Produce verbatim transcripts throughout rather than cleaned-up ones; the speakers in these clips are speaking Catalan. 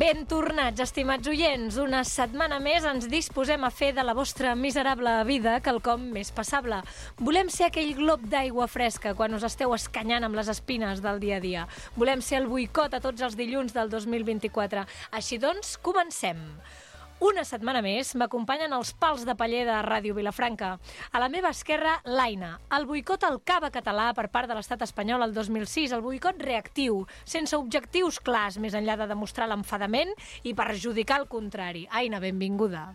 Ben tornats, estimats oients. Una setmana més ens disposem a fer de la vostra miserable vida quelcom més passable. Volem ser aquell glob d'aigua fresca quan us esteu escanyant amb les espines del dia a dia. Volem ser el boicot a tots els dilluns del dos mil vint-i-quatre. Així doncs, comencem. Una setmana més m'acompanyen els pals de paller de Ràdio Vilafranca. A la meva esquerra, l'Aina. El boicot al cava català per part de l'estat espanyol el dos mil sis, el boicot reactiu, sense objectius clars, més enllà de demostrar l'enfadament i perjudicar el contrari. Aina, benvinguda.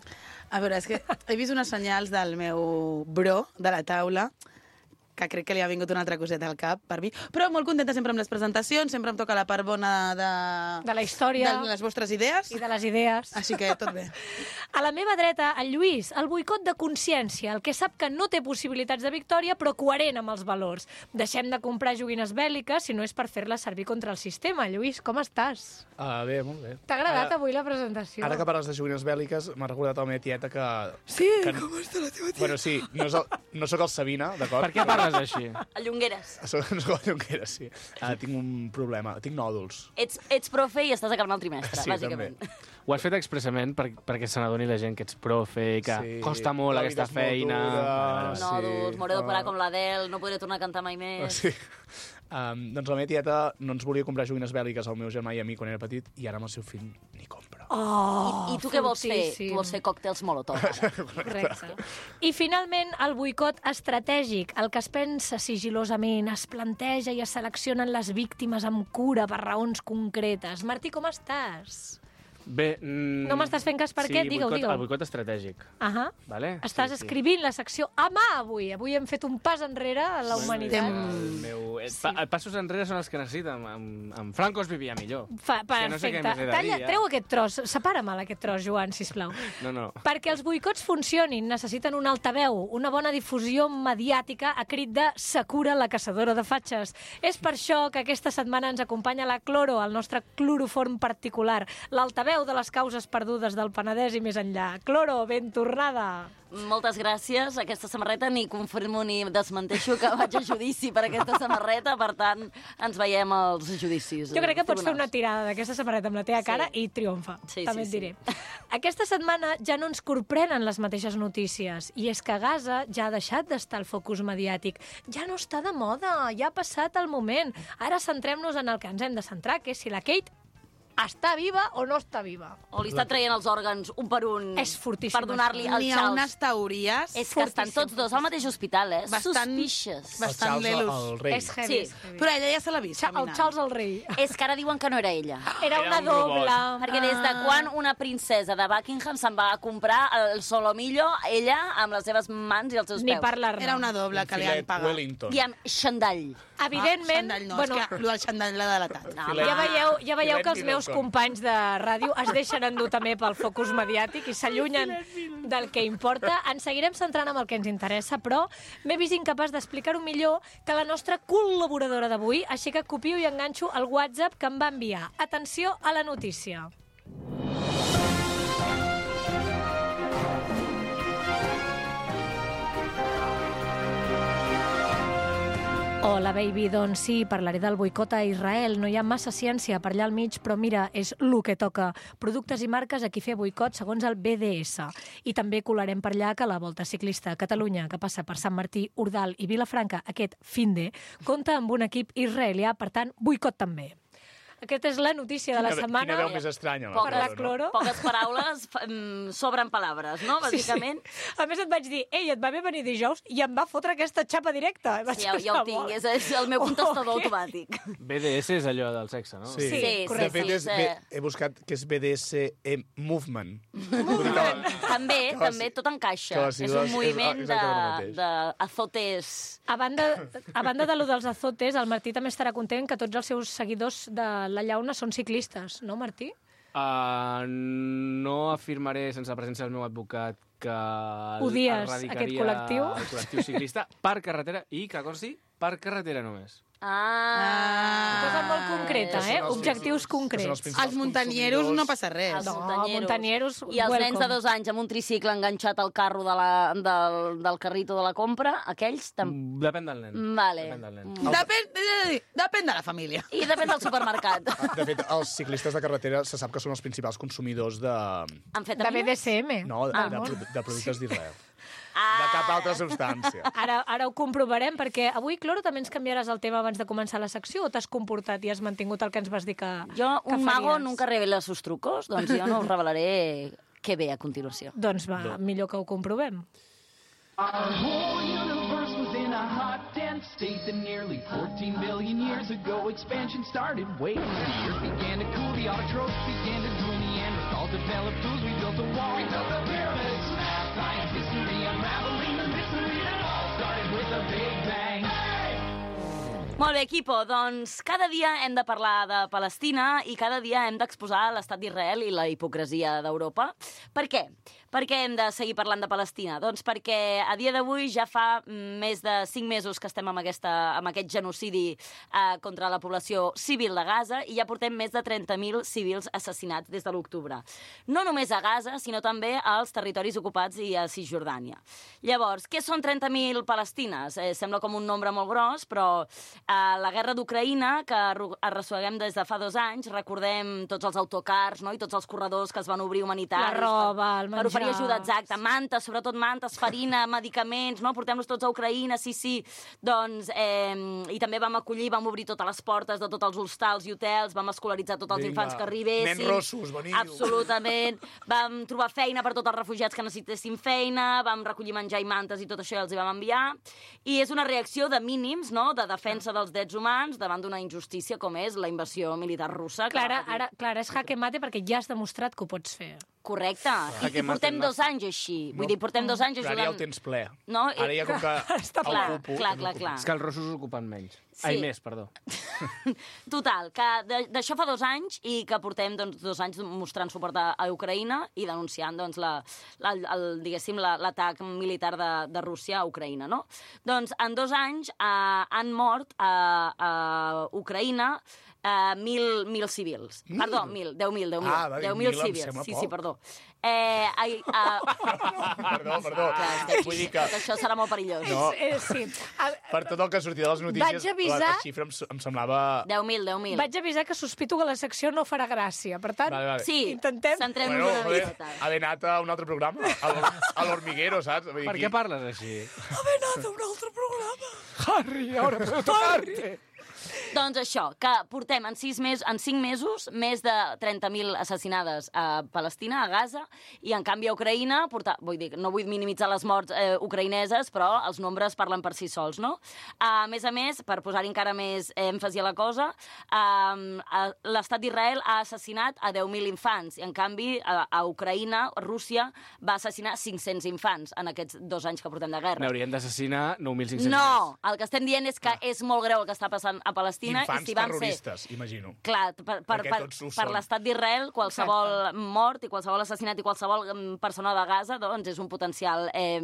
A veure, és que he vist unes senyals del meu bro de la taula que crec que li ha vingut una altra coseta al cap per mi, però molt contenta sempre amb les presentacions, sempre em toca la part bona de... De la història. De les vostres idees. I de les idees. Així que tot bé. A la meva dreta, el Lluís, el boicot de consciència, el que sap que no té possibilitats de victòria, però coherent amb els valors. Deixem de comprar joguines bèl·liques si no és per fer-les servir contra el sistema. Lluís, com estàs? Uh, bé, molt bé. T'ha agradat Ara, avui la presentació? Ara que parles de joguines bèl·liques, m'ha recordat a la meva tieta que... Sí, que... com està la teva tieta? Bueno, sí, no, és el, no sóc el Sabina, d'acord? Per què parles així? A Llongueres. Soc, no sóc el Llongueras, sí. Uh, tinc un problema, tinc nòduls. Ets, ets profe i estàs acabant el trimestre, Sí, bàsicament. també. Ho has fet expressament per, perquè se n'adoni la gent que ets profe i que Sí, costa molt la aquesta vida és molt feina. dura. Vale, vale. Sí. Nòduls, m'hauré d'operar Ah. com l'Adele, no podré tornar a cantar mai més. Sí. Um, doncs la meva tieta no ens volia comprar joguines bèl·liques al meu germà i a mi quan era petit i ara amb el seu fill ni compra. Oh, I, I tu què vols fer? fortíssim. Tu vols fer còctels Molotov, ara. Correcte. I finalment, el boicot estratègic, el que es pensa sigilosament, es planteja i es seleccionen les víctimes amb cura per raons concretes. Martí, com estàs? Bé, mm, No m'estàs fent cas per sí, què? Digue-ho, boicot, digue-ho. El boicot estratègic. Ahà. Vale? Estàs Sí, sí. escrivint la secció a mà avui. Avui hem fet un pas enrere a la humanitat. El meu... eh, pa, passos enrere són els que necessiten. Amb, amb Franco es vivia millor. Fa, que no sé perfecte. què més he de dir, Talla, ja. treu aquest tros. Separa-me'l, aquest tros, Joan, sisplau. No, no. Perquè els boicots funcionin, necessiten un altaveu, una bona difusió mediàtica a crit de Sakura, la caçadora de fatxes. És per això que aquesta setmana ens acompanya la Cloro, el nostre cloroform particular, l'altaveu de les causes perdudes del Penedès i més enllà. Cloro, ben tornada! Moltes gràcies. Aquesta samarreta ni confirmo ni desmenteixo que vaig a judici per aquesta samarreta, per tant, ens veiem als judicis. Jo crec que pots fer una tribunals. tirada d'aquesta samarreta amb la teva cara Sí. i triomfa, Sí, també et sí, sí. diré. Aquesta setmana ja no ens corprenen les mateixes notícies, i és que Gaza ja ha deixat d'estar al focus mediàtic. Ja no està de moda, ja ha passat el moment. Ara centrem-nos en el que ens hem de centrar, que és si la Kate està viva o no està viva. O li està traient els òrgans un per un És fortíssim, per donar-li això. el N'hi ha Charles. unes teories És que estan tots dos al mateix hospital, eh? Bastant- Suspicious. bastant el Charles, lelos. el rei. És heavy, Sí. és heavy. Però ella ja se l'ha vist Cha- el caminant. Charles el rei. És que ara diuen que no era ella. Era Era una un robot. doble. Perquè des de quan una princesa de Buckingham se'n va a comprar el solomillo, ella, amb les seves mans i els seus Ni peus. parlar-ne. Era una doble que li han Filet pagat. Wellington. I amb xandall. Evidentment, Ah, xandall no, bueno, és que el del xandall l'ha delatat. No, Filet. ja home. veieu, ja veieu Filet que els meus Middleton. companys de ràdio es deixen endur també pel focus mediàtic i s'allunyen del que importa. Ens seguirem centrant en el que ens interessa, però m'he vist incapaç d'explicar-ho millor que la nostra col·laboradora d'avui, així que copio i enganxo el WhatsApp que em va enviar. Atenció a la notícia. Hola, baby. Doncs sí, parlaré del boicot a Israel. No hi ha massa ciència per allà al mig, però mira, és lo que toca. Productes i marques a qui fer boicot segons el B D S. I també colarem per allà que la Volta Ciclista a Catalunya, que passa per Sant Martí, Ordal i Vilafranca aquest finde, compta amb un equip israelià, per tant, boicot també. Aquesta és la notícia de la Quina- setmana. Quina veu més estranya. Poc Per la Cloro, Cloro. Poques paraules, fa- mm, sobren paraules, no? Bàsicament. Sí, sí. A més et vaig dir, ei, et va bé venir dijous? I em va fotre aquesta xapa directa. Vaig Sí, ja, ja ho tinc, és, és el meu contestador Oh, automàtic. B D S és allò del sexe, no? Sí, Sí, de correcte. fet, és, Sí, B- he buscat que és B D S M Movement. També, Que les- també, tot encaixa. que les És sigles un és moviment de, exactament el mateix. de azotes. A banda, a banda de lo dels azotes, el Martí també estarà content que tots els seus seguidors de la llauna són ciclistes, no, Martí? Uh, no afirmaré sense la presència del meu advocat que el- Odies erradicaria aquest col·lectiu? el col·lectiu ciclista per carretera i, que consti, per carretera només. Ah. Cosa molt concreta, Que eh? són els Objectius principals- concrets. que són els principals Els muntanieros consumidors. no passa res. Els No, muntanyeros. muntanieros, I els nens de welcome. dos anys amb un tricicle enganxat al carro de la, del, del carrito de la compra, aquells també... Depèn del nen. Vale. Depèn del nen. Mm. Depèn, eh, depèn de la família. I depèn del supermercat. De fet, els ciclistes de carretera se sap que són els principals consumidors de... Han fet De B D C M. No, de, Ah, de, molt. de, de productes d'Israel. Ah. De cap altra substància. Ara, ara ho comprovarem, perquè avui, Cloro, també ens canviaràs el tema abans de començar la secció o t'has comportat i has mantingut el que ens vas dir que, Jo, que un mago faries? nunca revela sus trucos, doncs jo no us revelaré què ve a continuació. Doncs va, millor que ho comprovem. Our whole universe was in a hot, dense state that nearly fourteen billion years ago expansion started. Wait, the earth began to cool, the autotrophs began to drool, Neanderthals developed tools, we built a wall. We built the pyramids, math, science, history, unraveling the mystery that all started with a big bang. Molt bé, equipo, doncs cada dia hem de parlar de Palestina i cada dia hem d'exposar l'estat d'Israel i la hipocresia d'Europa. Per què? Per què hem de seguir parlant de Palestina? Doncs perquè a dia d'avui ja fa més de cinc mesos que estem amb, aquesta, amb aquest genocidi eh, contra la població civil de Gaza i ja portem més de trenta mil civils assassinats des de l'octubre. No només a Gaza, sinó també als territoris ocupats i a Cisjordània. Llavors, què són trenta mil palestines? Eh, sembla com un nombre molt gros, però eh, la guerra d'Ucraïna, que arrosseguem des de fa dos anys, recordem tots els autocars, no?, i tots els corredors que es van obrir humanitaris. La roba, el per, menjar. per oferir ajuda, exacte, mantes, sobretot mantes, farina, medicaments, no?, portem-los tots a Ucraïna, sí, sí. Doncs, eh, i també vam acollir, vam obrir totes les portes de tots els hostals i hotels, vam escolaritzar tots els Vinga, infants que arribessin. nens rossos, veniu. Absolutament. Vam trobar feina per tots els refugiats que necessitessin feina, vam recollir menjar i mantes i tot això i els hi vam enviar. I és una reacció de mínims, no?, de defensa dels drets humans davant d'una injustícia com és la invasió militar russa. que Clara, va patir. ara, Clara, és jaque mate perquè ja has demostrat que ho pots fer. Correcte. I, que i portem maten dos anys així. Vull dir, portem dos anys Però ara ja ajudant... el tens ple. No, i- Ara ja com que Està el clar, ocupo, clar, no clar, ocupo. clar. És que els rossos ocupen menys. Sí. Ai, més, perdó. Total, que de- d'això fa dos anys i que portem doncs, dos anys mostrant suport a, a Ucraïna i denunciant doncs, la, la, el, diguéssim, la- l'atac militar de, de Rússia a Ucraïna. No? Doncs en dos anys eh, han mort a, a Ucraïna eh, mil, mil civils. Mil? Perdó, mil, deu mil, deu mil. Ah, va dir deu mil mil, em civils. sembla Sí, poc. sí, perdó. Eh, ai, uh, Perdó, perdó. Vull dir que tot això serà molt perillós. No. Eh, sí. A, per tot el que sortia de les notícies, Vaig avisar- la, la xifra em, em semblava... deu mil, deu mil. vaig avisar que sospito que la secció no farà gràcia. Per tant, Vale, vale. Sí, intentem... centrem-nos Bueno, una joder, miqueta. haver anat a un altre programa, a l'Hor- a l'Hormiguero, saps? Vull dir, Per aquí- què parles així? Haver anat a un altre programa. Harry, ahora puedo tocarte. Doncs això, que portem en, sis mes, en cinc mesos més de trenta mil assassinades a Palestina, a Gaza, i en canvi a Ucraïna, porta, vull dir, no vull minimitzar les morts eh, ucraïneses, però els nombres parlen per si sols, no? A més a més, per posar-hi encara més èmfasi a la cosa, eh, l'estat d'Israel ha assassinat a deu mil infants, i en canvi a, a Ucraïna, Rússia, va assassinar cinc-cents infants en aquests dos anys que portem de guerra. N'haurien d'assassinar nou mil cinc-cents. No, el que estem dient és que és molt greu el que està passant a Palestina. Infants i si van terroristes, imagino. Clar, per, per, Perquè per, tots ho per són. l'estat d'Israel, qualsevol Exacte. mort i qualsevol assassinat i qualsevol mm, persona de Gaza doncs és un potencial eh,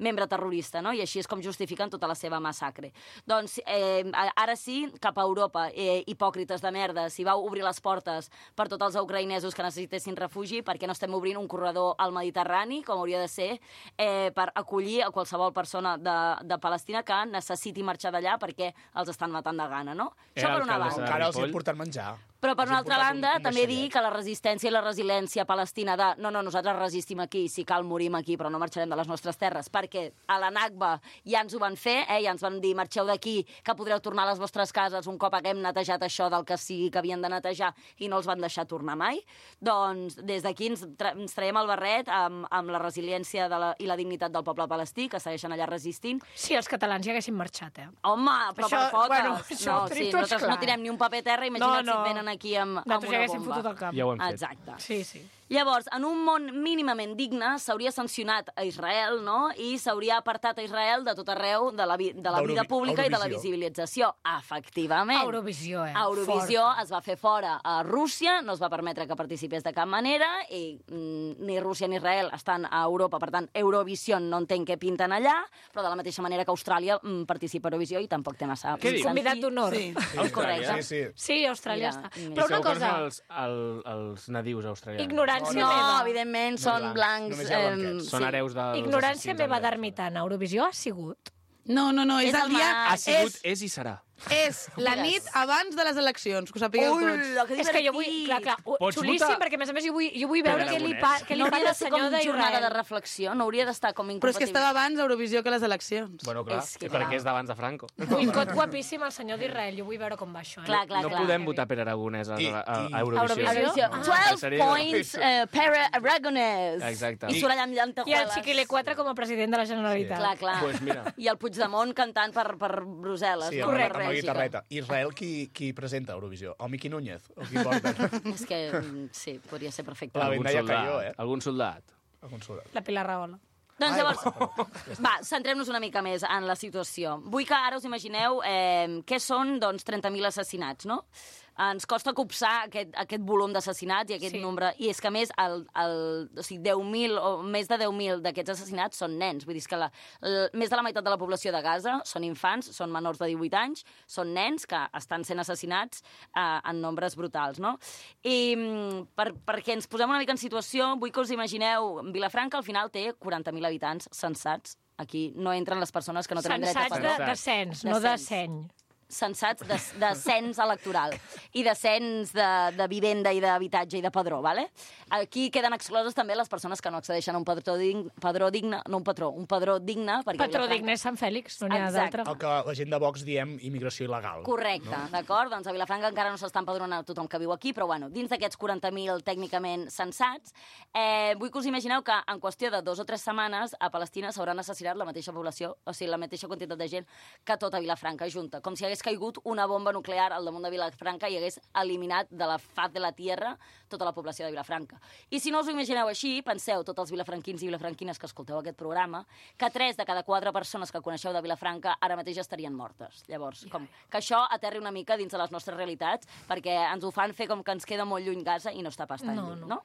membre terrorista, no? I així és com justifiquen tota la seva massacre. Doncs eh, ara sí, cap a Europa, eh, hipòcrites de merda, si vau obrir les portes per tots els ucraïnesos que necessitessin refugi, perquè no estem obrint un corredor al Mediterrani, com hauria de ser, eh, per acollir a qualsevol persona de, de Palestina que necessiti marxar d'allà perquè els estan matant de gana, no? Això Era per una alcaldessa banda. Encara els hi Ripoll. han portat menjar. Però, per Els una hi han altra portat banda, un- un també dir vaixellet. que la resistència i la resiliència palestina de no, no, nosaltres resistim aquí, si cal morim aquí, però no marxarem de les nostres terres, perquè a la Nakba ja ens ho van fer, eh? Ja ens van dir marxeu d'aquí, que podreu tornar a les vostres cases un cop haguem netejat això del que sigui que havien de netejar i no els van deixar tornar mai. Doncs des d'aquí ens, tra ens traiem el barret amb, amb la resiliència de la, i la dignitat del poble palestí, que segueixen allà resistint. Si els catalans ja haguessin marxat, eh? Home, però Això- per poques. bueno, això no, ho sí, tenim tots nosaltres clar. no tirem ni un paper a terra, imagina't No, no. si et venen aquí amb, amb Nosaltres una ja haguéssim bomba. fotut el cap. Ja ho hem fet. Exacte. Sí, sí. Llavors, en un món mínimament digne, s'hauria sancionat a Israel, no? I s'hauria apartat a Israel de tot arreu de la, vi de la vida pública i de la visibilització. Efectivament. Eurovisió, eh? Eurovisió es va fer fora a Rússia, no es va permetre que participés de cap manera, i mm, ni Rússia ni Israel estan a Europa, per tant, Eurovisió no entenc què pinten allà, però de la mateixa manera que Austràlia mm, participa a Eurovisió i tampoc té massa... Què dius? Convidat d'honor. Sí. Correcte. Sí, sí. Sí, Austràlia Mira, està. mira. Però I una segur que cosa, són els, el, els nadius australians. ignorància No, meva. evidentment, són blancs. Només hi ha em, blanquets. Són hereus dels Ignorància assassins meva anglesos. d'ermitana. Eurovisió ha sigut? No, no, no, és, És el el dia... maig. Ha sigut, És, és i serà. és la nit abans de les eleccions, que ho sapigueu tots. Ui, que És que jo vull... Clar, clar, Pots xulíssim, votar? perquè a més a més jo vull, jo vull veure Pere què li, Aragonès. pa, què li No fa hauria al de ser com senyor jornada de d'Israel. reflexió, no hauria d'estar com Però és incompatible. que estava abans Eurovisió que les eleccions. Bueno, clar, És que perquè clar. és d'abans de Franco. Boicot guapíssim al senyor d'Israel. Jo vull veure com va això. Eh? Clar, clar, No clar. podem votar Pere Aragonès a, I- a, a i- Eurovisió. Eurovisió. Eurovisió. Ah. twelve Seria- points, uh, Pere Aragonès. Exacte. I surt allà amb I el llentejueles. Chiquile quatre com a president de la Generalitat. Clar, clar. Pues mira. I el Puigdemont cantant per, per Brussel·les. Sí, no? amb, Per amb la Bèlgica. guitarreta. Israel, qui, qui presenta Eurovisió? El Miqui Núñez? O qui porta? És que, mm, sí, podria ser perfecte. La Algun Vendaya soldat. cayó, eh? Algun soldat. Algun soldat. La Pilar Rahola. Doncs Ai, llavors, va, centrem-nos una mica més en la situació. Vull que ara us imagineu eh, què són doncs, trenta mil assassinats, no? Ens costa copsar aquest, aquest volum d'assassinats i aquest Sí. nombre. I és que, a més, el, el, o sigui, deu mil o més de deu mil d'aquests assassinats són nens. Vull dir que la, la, més de la meitat de la població de Gaza són infants, són menors de divuit anys, són nens que estan sent assassinats eh, en nombres brutals, no? I mm, per, perquè ens posem una mica en situació, vull que us imagineu, Vilafranca al final té quaranta mil habitants sensats. Aquí no entren les persones que no tenen dret a Sensats parlar. de, de cens, De no de cens. seny. Sensats de, de cens electoral i de cens de, de vivenda i d'habitatge i de padró, ¿vale? Aquí queden excloses també les persones que no accedeixen a un padró digne, padró digne no un patró, un padró digne. Perquè Patró Vilafranca- digne és Sant Fèlix, no n'hi ha Exacte. d'altre. El que la gent de Vox diem immigració il·legal. Correcte, no? D'acord? Doncs a Vilafranca encara no s'està empadronant tothom que viu aquí, però bueno, dins d'aquests quaranta mil tècnicament censats, eh, vull que us imagineu que en qüestió de dos o tres setmanes a Palestina s'hauran assassinat la mateixa població, o sigui, la mateixa quantitat de gent que tota Vilafranca junta, com si hagués caigut una bomba nuclear al damunt de Vilafranca i hagués eliminat de la faz de la tierra tota la població de Vilafranca. I si no us ho imagineu així, penseu, tots els vilafranquins i vilafranquines que escolteu aquest programa, que tres de cada quatre persones que coneixeu de Vilafranca ara mateix estarien mortes. Llavors, com que això aterri una mica dins de les nostres realitats, perquè ens ho fan fer com que ens queda molt lluny Gaza i no està pas tan No, lluny, no. no?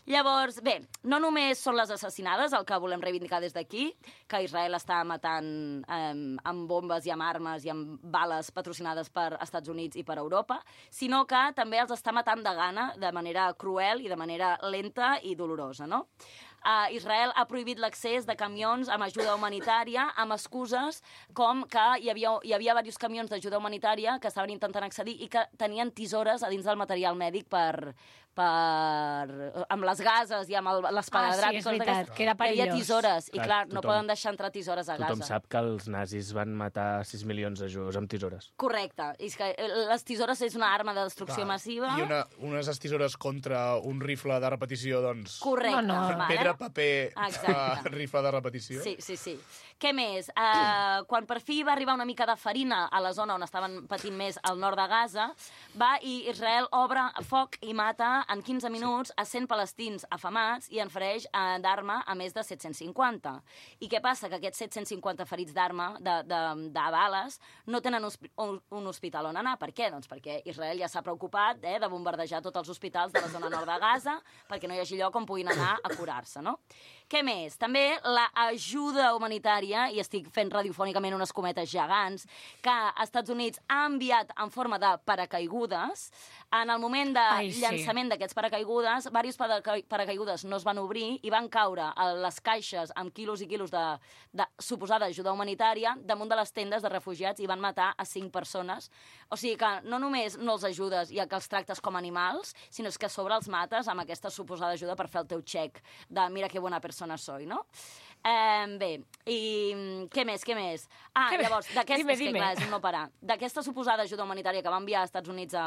Llavors, bé, no només són les assassinades el que volem reivindicar des d'aquí, que Israel està matant eh, amb bombes i amb armes i amb bales patrocinades per Estats Units i per Europa, sinó que també els està matant de gana, de manera cruel i de manera lenta i dolorosa, no? Uh, Israel ha prohibit l'accés de camions amb ajuda humanitària amb excuses com que hi havia, hi havia diversos camions d'ajuda humanitària que estaven intentant accedir i que tenien tisores a dins del material mèdic per, per, amb les gases i amb el, l'esparadrap. Ah, sí, és veritat, que era Hi havia perillós. tisores i Clar, clar, no tothom- poden deixar entrar tisores a Tothom Gaza. sap que els nazis van matar sis milions de jueus amb tisores. Correcte. I és que eh, les tisores és una arma de destrucció massiva. I una, unes estisores contra un rifle de repetició, doncs... Correcte. No, no. vale? Pedra, paper, Exacte. uh, rifle de repetició. Sí, sí, sí. Què més? Uh, quan per fi va arribar una mica de farina a la zona on estaven patint més al nord de Gaza, va i Israel obre foc i mata en quinze minuts a cent palestins afamats i en fereix uh, d'arma a més de set-cents cinquanta. I què passa? Que aquests set-cents cinquanta ferits d'arma, de, de, de bales, no tenen un, un hospital on anar. Per què? Doncs perquè Israel ja s'ha preocupat eh, de bombardejar tots els hospitals de la zona nord de Gaza perquè no hi hagi lloc on puguin anar a curar-se, no? Què més? També l'ajuda humanitària, i estic fent radiofònicament unes cometes gegants, que als Estats Units ha enviat en forma de paracaigudes. En el moment de Ai, sí. llançament d'aquests paracaigudes, diversos paraca paracaigudes no es van obrir i van caure a les caixes amb quilos i quilos de, de suposada ajuda humanitària damunt de les tendes de refugiats i van matar a cinc persones. O sigui que no només no els ajudes i que els tractes com animals, sinó és que a sobre els mates amb aquesta suposada ajuda per fer el teu xec de mira que bona persona soy, no? Eh, bé, i què més, què més? Ah, Què més? llavors, d'aquesta, Dime, és que dime. clar, és un no parar. D'aquesta suposada ajuda humanitària que va enviar als Estats Units a,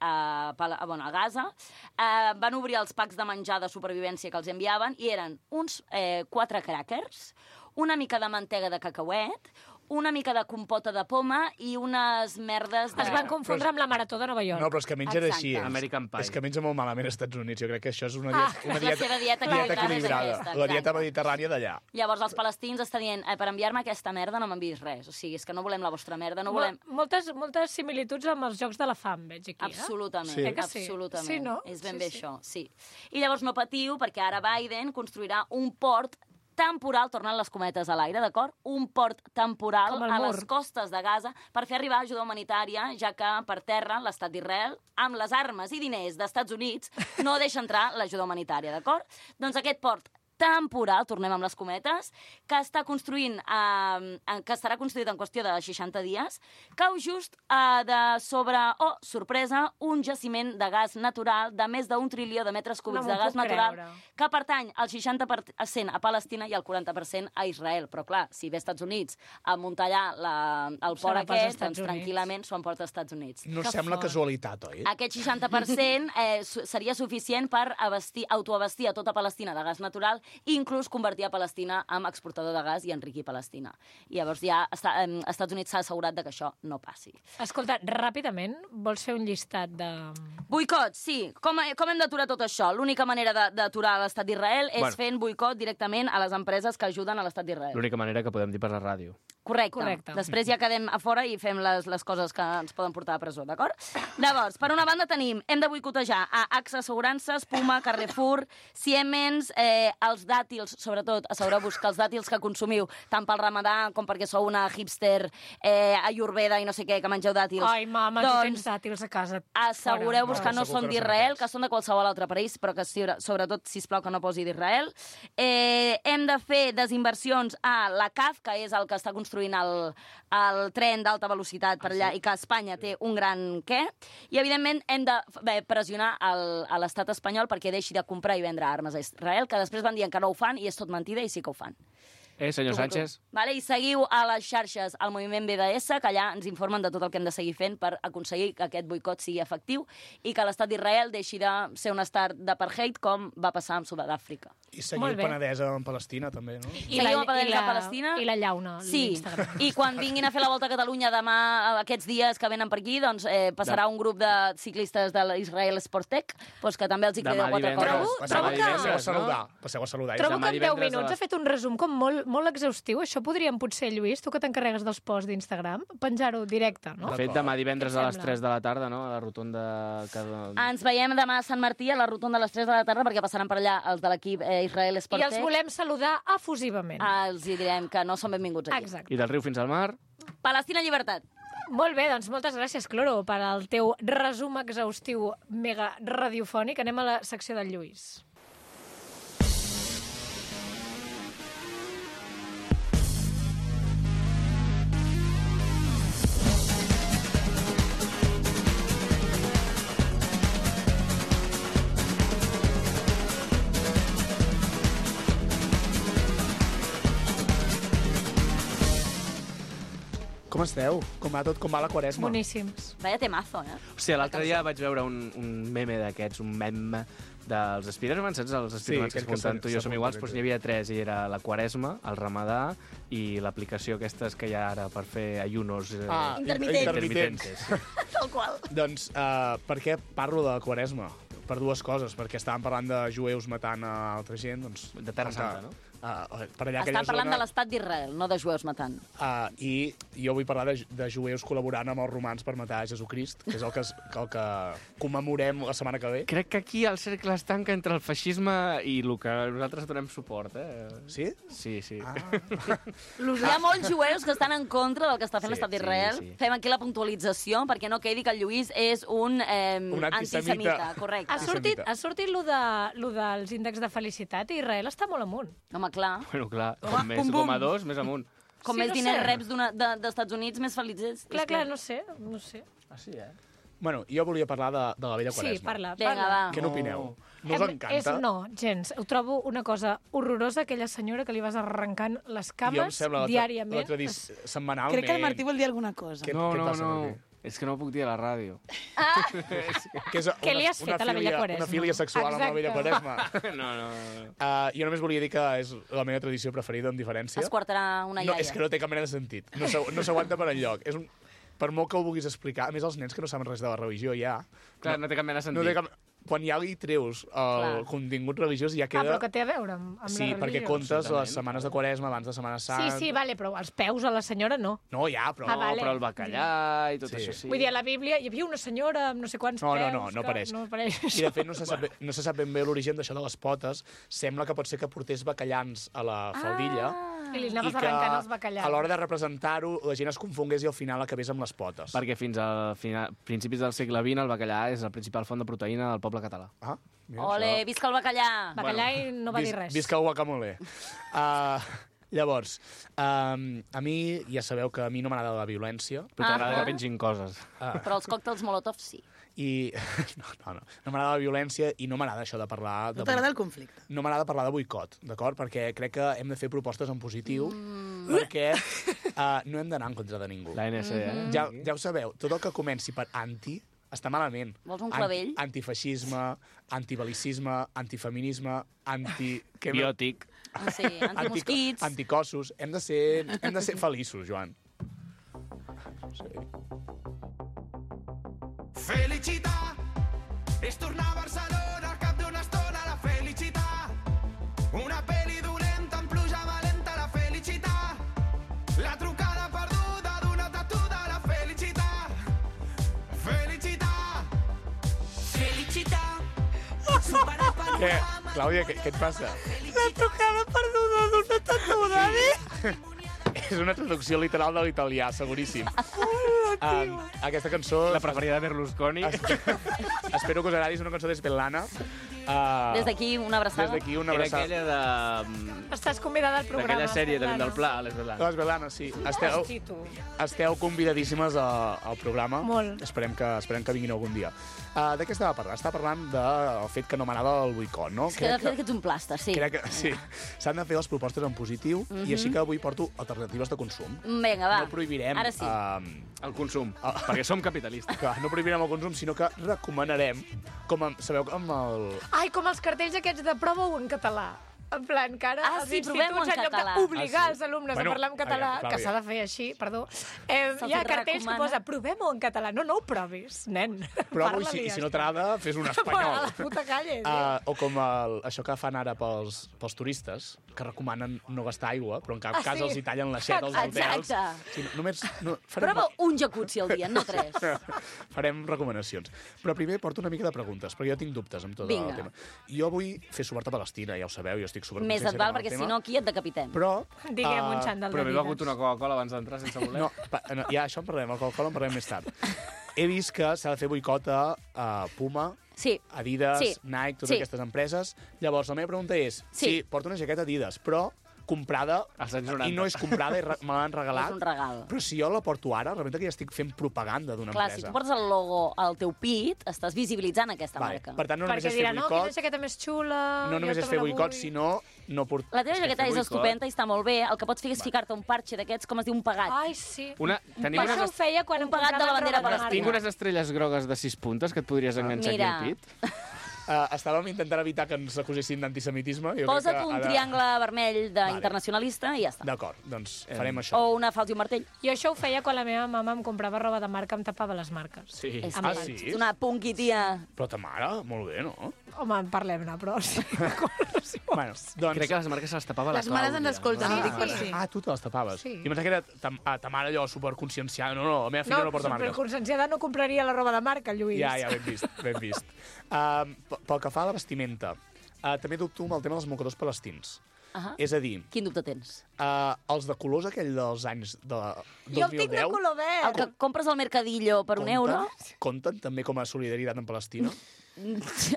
a, a, bueno, a Gaza, eh, van obrir els packs de menjar de supervivència que els enviaven i eren uns eh, quatre crackers, una mica de mantega de cacauet, una mica de compota de poma i unes merdes de... Es van confondre amb la Marató de Nova York. No, però és que mengen Exacte. així. És, American Pie. és que menja molt malament als Estats Units. Jo crec que això és una, Ah, dieta, una és la dieta, seva dieta dieta equilibrada, és equilibrada. aquesta, La dieta exacte. mediterrània d'allà. Llavors els palestins està dient eh, per enviar-me aquesta merda no m'enviïs res. O sigui, és que no volem la vostra merda, no volem... Mo- Moltes, moltes similituds amb els Jocs de la Fam, veig aquí. Eh? Absolutament, Sí. Eh que sí? absolutament. Sí, no? És ben Sí, bé sí. això, sí. I llavors no patiu, perquè ara Biden construirà un port temporal, tornant les cometes a l'aire, d'acord? Un port temporal Com el a mur. les costes de Gaza per fer arribar ajuda humanitària, ja que per terra l'estat d'Israel, amb les armes i diners d'Estats Units, no deixa entrar l'ajuda humanitària, d'acord? Doncs aquest port temporal, tornem amb les cometes, que està construint, eh, que estarà construït en qüestió de seixanta dies, cau just eh, de sobre, oh, sorpresa, un jaciment de gas natural de més d'un trilió de metres cúbics No m'ho de gas puc natural creure. que pertany al seixanta per cent a Palestina i al quaranta per cent a Israel. Però, clar, si ve als Estats Units a muntar allà la, el port Serà pels aquest, Estats doncs Units. tranquil·lament s'ho emporta als Estats Units. No Que sembla fort. casualitat, oi? Aquest seixanta per cent eh, su- seria suficient per abastir, autoabastir a tota Palestina de gas natural i inclús convertir a Palestina en exportador de gas i enriquir Palestina. I llavors ja està, eh, Estats Units s'ha assegurat de que això no passi. Escolta, ràpidament, vols fer un llistat de... Boicot, sí. Com, com hem d'aturar tot això? L'única manera de- d'aturar l'estat d'Israel és Bueno. fent boicot directament a les empreses que ajuden a l'estat d'Israel. L'única manera que podem dir per la ràdio. Correcte. Correcte. Després ja quedem a fora i fem les, les coses que ens poden portar a presó, d'acord? Llavors, per una banda tenim, hem de boicotejar a AXA Assegurances, Puma, Carrefour, Siemens, eh, els dàtils, sobretot, assegureu-vos que els dàtils que consumiu, tant pel ramadà com perquè sou una hipster eh, ayurveda i no sé què, que mengeu dàtils. Ai, mama, tu doncs, tens dàtils a casa. assegureu-vos Fora. que no segur són que no són d'Israel, aquests. que són de qualsevol altre país, però que sobre- sobretot, sisplau, que no posi d'Israel. Eh, hem de fer desinversions a la C A F, que és el que està construint el, el tren d'alta velocitat per allà i que Espanya té un gran què. I, evidentment, hem de bé, pressionar el, a l'estat espanyol perquè deixi de comprar i vendre armes a Israel, que després van dient que no ho fan i és tot mentida i sí que ho fan. Eh, senyor Sánchez? Vale? I seguiu a les xarxes al moviment B D S, que allà ens informen de tot el que hem de seguir fent per aconseguir que aquest boicot sigui efectiu i que l'estat d'Israel deixi de ser un estat d'apartheid com va passar amb Sud-àfrica. I seguir Molt el bé. Penedès en Palestina, també, no? I la, Seguim a Padel i de la, Palestina. I la llauna, Sí, l'Instagram. i quan vinguin a fer la volta a Catalunya demà, aquests dies que venen per aquí, doncs eh, passarà un grup de ciclistes de l'Israel Sportec, doncs que també els hi Demà crideu quatre divendres. coses. Trobo- Passeu, trobo que- passeu a saludar. Passeu a saludar. Trobo Demà que en deu divendres a minuts les- ha fet un resum com molt, molt exhaustiu. Això podríem, potser, Lluís, tu que t'encarregues dels posts d'Instagram, penjar-ho directe, no? De fet, demà divendres Què et a les sembla? tres de la tarda, no?, a la rotonda... Que... Ens veiem demà a Sant Martí a la rotonda a les tres de la tarda perquè passaran per allà els de l'equip eh, Israel I Sportec. els volem saludar efusivament. Ah, els hi direm que no són benvinguts aquí. Exacte. I del riu fins al mar... Palestina llibertat. Molt bé, doncs moltes gràcies, Cloro, per al teu resum exhaustiu mega radiofònic. Anem a la secció del Lluís. Com esteu? Com va tot? Com va la quaresma? Boníssims. Vaya temazo, eh? O sigui, l'altre dia vaig veure un, un meme d'aquests, un meme dels Spiderman, saps? Els Spiderman que es aquell que munten, tu i jo som s'apunta, iguals, aquell doncs que- n'hi havia tres, i era la Quaresma, el Ramadà i l'aplicació aquestes que hi ha ara per fer ayunos eh, Ah, Intermitents. intermitents. Tal qual. Doncs, uh, per què parlo de la quaresma? Per dues coses, perquè estàvem parlant de jueus matant a altra gent, doncs... De Terra com que, Santa, no? Uh, per allà aquella Estan parlant zona, de l'estat d'Israel, no de jueus matant. Uh, I jo vull parlar de, de jueus col·laborant amb els romans per matar Jesucrist, que és el que, es, que, el que commemorem la setmana que ve. Crec que aquí el cercle es tanca entre el feixisme i el que nosaltres donem suport, eh? Sí? Sí, sí. Ah. Hi ha molts jueus que estan en contra del que està fent Sí, l'estat sí, d'Israel. sí. Fem aquí la puntualització perquè no quedi que el Lluís és un, eh, Un antisemita. antisemita. Correcte. Ha sortit, ha sortit lo, de, lo dels índexs de felicitat i Israel està molt amunt. Home, clar. Bueno, clar, Home, com més, pum, pum. com a dos, més amunt. Com Sí, més no diners sé. reps d'una- de- dels Estats Units, més feliç és. Clar, és clar, no sé, no sé. Ah, sí, eh? Bueno, jo volia parlar de, de la vella Sí, quaresma. parla, Vinga, parla. va. Què n'opineu? No us Em- encanta? És, no, gens. Ho trobo una cosa horrorosa, aquella senyora que li vas arrencant les Jo em cames sembla la, tra- diàriament. la tradició setmanalment. Crec que el Martí vol dir alguna cosa. Què, No, què no, passa, no. Martí? És que no ho puc dir a la ràdio. Ah, Que és Què li una- has fet una a la Vella filia- Quaresma? Una filia sexual amb la Vella Exacte. Quaresma. No, no, no. Uh, jo només volia dir que és la meva tradició preferida, amb diferència. esquartarà una No, iaia. és que no té cap mena de sentit. No s'agu- no s'aguanta per enlloc. És un... Per molt que ho vulguis explicar, a més els nens que no saben res de la religió ja... Clar, no té cap mena de sentit. No té cap... Quan ja li treus el Clar. contingut religiós ja Ah, queda... però que té a veure amb, amb Sí, la perquè religió. comptes Absolutament. les setmanes de Quaresma abans de Setmana Sí, Santa... sí, vale, però els peus a la senyora no. No, ja, però... Ah, No, vale. però el bacallà i tot Sí. això sí. Vull dir, a la Bíblia hi havia una senyora amb no sé quants No, no, peus... no, no que apareix. No apareix. I de fet no se sap, bé- no se sap ben bé l'origen d'això de les potes. Sembla que pot ser que portés bacallans a la faldilla I li i anaves que arrencant els bacallans. a l'hora de representar-ho la gent es confongués i al final acabés amb les potes. Perquè fins a final, principis del segle vint el bacallà és la principal font de proteïna del poble català. Ah, mira, Ole, això. visca el bacallà! Bacallà i no va dir Vis- res. Visca el guacamole. Uh, llavors, um, a mi, ja sabeu que a mi no m'agrada la violència. Però t'agrada Ah. que pengin coses. Però els còctels Molotov sí. I no, no, no, no m'agrada la violència i no m'agrada això de parlar... De No t'agrada el conflicte? no m'agrada parlar de boicot, d'acord? Perquè crec que hem de fer propostes en positiu, mm. perquè uh, no hem d'anar en contra de ningú. La N S, eh? Mm-hmm. Ja, ja ho sabeu, tot el que comenci per anti està malament. Vols un clavell? An antifeixisme, antibalicisme, antifeminisme, anti... què més? Biòtic. Ah, sí, antimosquits. Anticossos. Hem de ser, hem de ser feliços, Joan. Sí. Felicitar és tornar a Barcelona al cap d'una estona. La felicitat, una peli dolenta amb pluja valenta. La felicitat, la trucada perduda d'una tatuda. La felicitat, felicitat, felicitat, superar el Què? panorama. Clàudia, què, què et passa? La trucada perduda d'una tatuda, eh? És una traducció literal de l'italià, seguríssim. Um, aquesta cançó... La preferida de Berlusconi. Espero que us agradi, és una cançó d'Espellana. Uh, Des d'aquí, una abraçada. Des d'aquí, una Era abraçada. aquella de... Estàs convidada al programa. D'aquella sèrie també Estelana. del Pla, a l'Esvelana. L'Espellana, sí. Esteu, Hosti, tu. esteu convidadíssimes a, al programa. Molt. Esperem que, esperem que vinguin algun dia. Uh, de què estava parlant? Estava parlant del fet que no m'agrada el boicot, no? És que de fet que ets un plasta, sí. crec que sí. S'han de fer les propostes en positiu Mhm. i així que avui porto alternatives de consum. Vinga, va. No prohibirem... Ara sí. Uh, El consum, Ah. perquè som capitalistes. que no prohibirem el consum, sinó que recomanarem, com a, sabeu, amb el... Ai, com els cartells aquests de prova-ho en català. En plan, que ara Ah, els sí, provem-ho instituts, en en lloc català. d'obligar Ah, sí? els alumnes Bueno, a parlar en català, aviam, que Clàudia. s'ha de fer així, perdó, eh, Se'ls hi ha cartells recomana. que posa provem-ho en català. No, no ho provis, nen. Prova-ho i si, Parla-li, i si ja no està. t'agrada, fes un Bueno, espanyol. la puta calle, tio. Uh, o com el, això que fan ara pels, pels turistes, que recomanen no gastar aigua, però en cap Ah, cas sí? els hi tallen l'aixeta als hotels. Exacte. Sí, només, no, farem, Prova un jacuzzi al dia, no tres. farem recomanacions. Però primer porto una mica de preguntes, perquè jo tinc dubtes amb tot Vinga. el tema. Jo vull fer suport a Palestina, ja ho sabeu, jo estic super Més et val, perquè si no aquí et decapitem. Però... Diguem un eh, xandall Però de m'he begut Didas. una Coca-Cola abans d'entrar sense voler. No, pa, no, ja això en parlarem, el Coca-Cola en parlarem més tard. He vist que s'ha de fer boicot a uh, Puma, Sí. Adidas, Sí. Nike, totes Sí. aquestes empreses. Llavors, la meva pregunta és, Sí. sí, porto una jaqueta Adidas, però comprada, Als anys noranta. i no és comprada, i re- me l'han regalat, És un regal. però si jo la porto ara, realment que ja estic fent propaganda d'una Clar, si empresa. tu portes el logo al teu pit, estàs visibilitzant aquesta Vale. marca. Per tant, no només Perquè és fer dirà, no, quina boicot, jaqueta més xula... no jo només és també fer la boicot, vull. sinó no port... La teva És que jaqueta fer és boicot- estupenda i està molt bé. El que pots fer és ficar-te un parxe d'aquests, com es diu, un pegat. Ai, sí. Una, tenim Això ho unes, feia quan un em pegat de la compraven bandera roba de palestina. tinc marca. unes estrelles grogues de sis puntes que et podries enganxar Mira. aquí al pit. Uh, estàvem intentant evitar que ens acusessin d'antisemitisme. Jo crec Posa't que un ha de- triangle vermell d'internacionalista i ja està. D'acord, doncs farem això. O una falsa i un martell. Jo això ho feia quan la meva mama em comprava roba de marca, em tapava les marques. Sí. És Ah, que sí? ets una punky tia. Però ta mare, molt bé, no? Home, parlem-ne, però sí. sí. Bueno, doncs... Crec que les marques se les tapava la Les mares Clàudia. ens escolten, Sí, ho dic per sí. si. Ah, tu te les tapaves. Sí. Jo pensava que era ta, ah, ta mare allò superconscienciada. No, no, la meva filla no, No, no porta marques. superconscienciada no compraria la roba de marca, Lluís. Ja, ja, ben vist, ben vist. Uh, pel que fa a la vestimenta, uh, també dubto amb el tema dels mocadors palestins. Ahà. És a dir, Quin dubte tens? uh, els de colors aquell dels anys de Jo el tinc de dos mil deu... color El verd. que compres al Mercadillo per un compten, euro? compten també com a solidaritat en Palestina?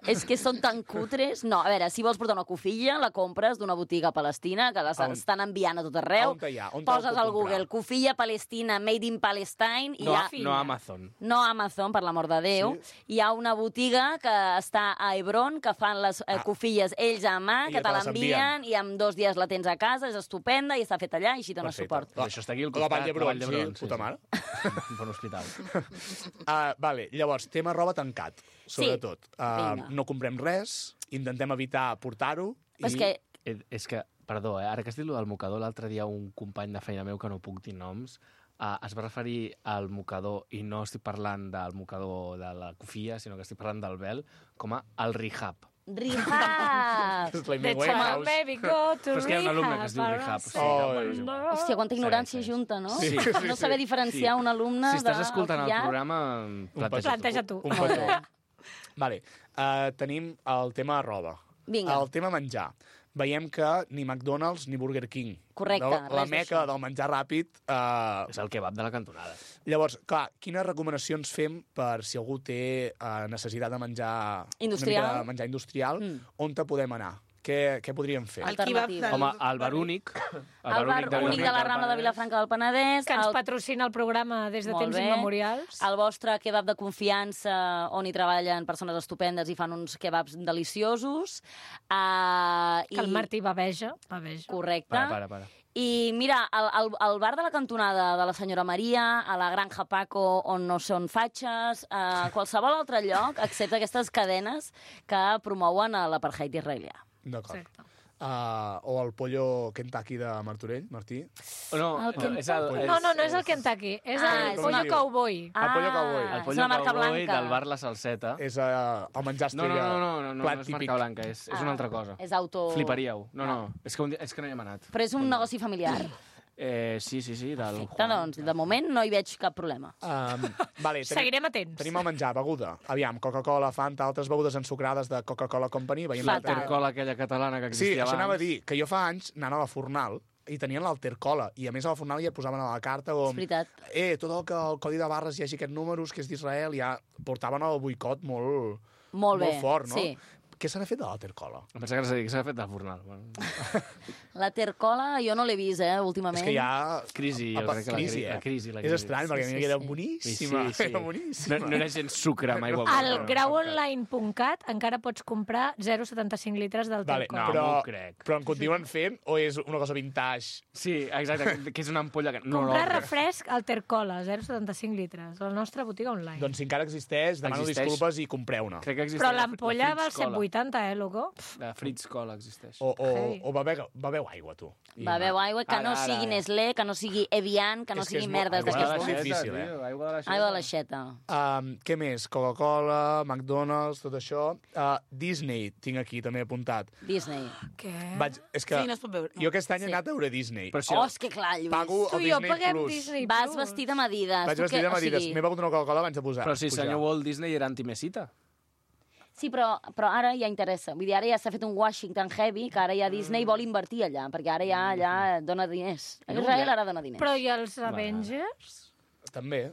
és que són tan cutres. No, a veure, si vols portar una cofilla, la compres d'una botiga palestina, que les On? estan enviant a tot arreu. On te hi ha? On te la Poses puc al comprar? Google, cofilla palestina, made in Palestine, i No, hi ha... no Amazon. No Amazon, per l'amor de Déu. Sí? Hi ha una botiga que està a Hebron, que fan les eh, Ah. cofilles ells a mà, I que te te les l'envien, i en dos dies la tens a casa, és estupenda, i està feta allà, i així dones Perfecte. suport. Però això està aquí al La costat. Vall d'Hebron, la Vall sí, puta mare. Un bon hospital. Uh, vale, llavors, tema roba tancat, sobretot. Uh, vinga. no comprem res, intentem evitar portar-ho. Però és que Eh, És que, perdó, eh? ara que has dit lo del mocador, l'altre dia un company de feina meu, que no puc dir noms, uh, es va referir al mocador, i no estic parlant del mocador de la cofilla, sinó que estic parlant del vel, com a el rehab. Rehab! És la Let's Amy come on, Winehouse. baby, go to Però és que hi ha un alumne que es diu rehab. rehab. O sigui, Oh, que, bueno, és igual. Hòstia, quanta ignorància Segueix, segueix. junta, no? Sí, no sí, saber sí. diferenciar un alumne Si estàs del escoltant el que hi ha. programa, planteja, Planteja tu. Un petó. Vale, uh, tenim el tema roba. Vinga. El tema menjar. Veiem que ni McDonald's ni Burger King. Correcte, La, la res meca d'això. del menjar ràpid. Uh, És el kebab de la cantonada. llavors, clar, quines recomanacions fem per si algú té uh, necessitat de menjar... Industrial. Una mica de menjar industrial, Mm. on te podem anar? Què, què podríem fer? El kebab Alternativa. del- Home, el bar únic. El bar únic de la Rambla de Vilafranca del Penedès. Que ens el, patrocina el programa des de Molt temps bé. immemorials. el vostre kebab de confiança, on hi treballen persones estupendes i fan uns kebabs deliciosos. Uh, Que el Martí baveja. baveja. Correcte. Para, para, para. I mira, el, el, el bar de la cantonada de la senyora Maria, a la Granja Paco, on no són fatxes, a qualsevol altre lloc, excepte aquestes cadenes que promouen a l'apartheid israelià. D'acord. Exacte. Uh, o el pollo Kentucky de Martorell, Martí. Oh, no, El no, és el, és, No, no, no és el Kentucky, és Ah, el és pollo una- cowboy. El pollo cowboy. El és pollo la marca cowboy blanca. del bar La Salseta. És uh, el menjar No, no, estrella. no, no, no, no, plat no és típic. marca blanca, és, és una altra cosa. És auto... Fliparíeu. No, no, és que, un dia, és que no hi hem anat. Però és un negoci familiar. Eh, sí, sí, sí, del Perfecte, doncs, de moment no hi veig cap problema. Um, vale, tenim, Seguirem atents. tenim el menjar, beguda. Aviam, Coca-Cola, Fanta, altres begudes ensucrades de Coca-Cola Company. Veiem Fatal. l'Alter- Tercola aquella catalana que Sí, existia això anava a abans. dir, que jo fa anys, anant a la Fornal, i tenien l'Altercola, i a més a la Fornal ja et posaven a la carta És com... veritat. Eh, tot el que el codi de barres hi hagi aquests números, que és d'Israel, ja portaven el boicot molt, Molt bé, fort, no? sí. Què se n'ha fet de l'Altercola? Em pensa que s'ha fet del fornal. Bueno. La Tercola jo no l'he vist, eh, últimament. És que hi ha... Crisi, jo Apa, crec que la crisi, crisi, eh? la crisi, la És crisi. estrany, perquè a mi sí, era sí. boníssima. Sí, sí. Era boníssima. No, no era gens sucre, mai ho Al grauonline punt cat encara pots comprar zero coma setanta cinc litres del Vale, Tercola. no, però, m'ho crec. però en continuen fent o és una cosa vintage? Sí, exacte, que és una ampolla que... No, Comprar no, refresc al Tercola, zero coma setanta cinc litres, a la nostra botiga online. Doncs si encara existeix, demano Existeix. disculpes i compreu-ne. crec que existeix Però la- l'ampolla la val Fritz set Cola. vuitanta, eh, loco? La Fritz Cola existeix. O, o, Heavy. o beveu, beveu aigua, tu. I- Beveu aigua, que Ara, no ara, sigui ara. Nestlé, que no sigui Evian, que no És que és sigui molt- merdes aigua de Aigua la de d'aquestes. l'aixeta. l'aixeta, difícil, eh? tio, aigua de l'aixeta. Aigua de l'aixeta. Um, què més? Coca-Cola, McDonald's, tot això. Uh, Disney tinc aquí també apuntat. Disney. Què? Vaig, és que Sí, no es pot veure. jo aquest any Sí. he anat a veure Disney. Però si Oh, és que clar, Lluís. Pago Tu el i jo Disney paguem Plus. Disney Vas Plus. vestit amb Adidas. Vaig Tu vestit què- amb o Adidas. sigui- M'he begut una Coca-Cola abans de posar. Però si pujar. senyor Walt Disney era antimesita. Sí, però, però ara ja interessa. Vull dir, ara ja s'ha fet un Washington heavy, que ara ja Disney vol invertir allà, perquè ara ja allà dona diners. Israel ara dona diners. Però i els Avengers? També.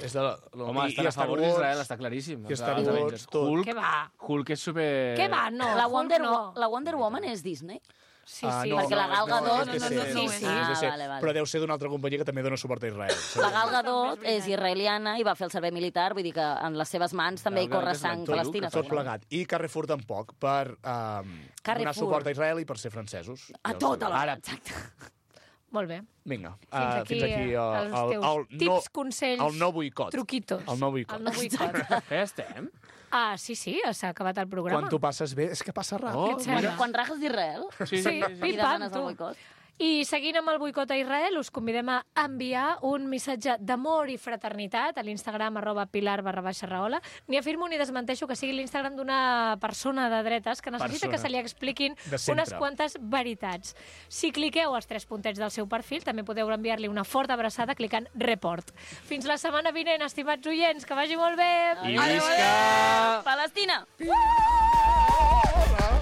És de la, la, Home, i, estan i a Star favor Wars. d'Israel, està claríssim. I Star Els Wars, Avengers. tot. Hulk, Què va? Hulk és super... Què va? No, la, Hulk Wonder, no. la Wonder Woman és Disney? Sí, Ah, sí. no, perquè la Gal no, Gadot- és de no, no, ser, no, no, és sí. de Ah, ser. vale, vale. Però deu ser d'una altra companyia que també dona suport a Israel. La Gal Gadot és israeliana i va fer el servei militar, vull dir que en les seves mans també hi Gal Gadot corre és sang l'actor, palestina. Tot plegat. I Carrefour tampoc, per um, Carrefour. donar suport a Israel i per ser francesos. A Ja ho tot sabeu. alhora, Ara, exacte. Molt bé. vinga, Fins uh, aquí, fins aquí eh, el, els el, teus el, tips, no, consells, el no boicot. truquitos. El no boicot. El no boicot. Què estem? Ah, sí, sí, s'ha acabat el programa. Quan t'ho passes bé, és que passa ràpid. Oh, Què et sembla? Quan rajes d'Israel Sí, Sí, i pim-pam, demanes tu. el boicot. I seguint amb el boicot a Israel, us convidem a enviar un missatge d'amor i fraternitat a l'Instagram arroba pilar barra baixa rahola. Ni afirmo ni desmenteixo que sigui l'Instagram d'una persona de dretes que necessita Persona. que se li expliquin De sempre. unes quantes veritats. Si cliqueu als tres puntets del seu perfil, també podeu enviar-li una forta abraçada clicant report. Fins la setmana vinent, estimats oients, que vagi molt bé! I visca! Palestina! Ah!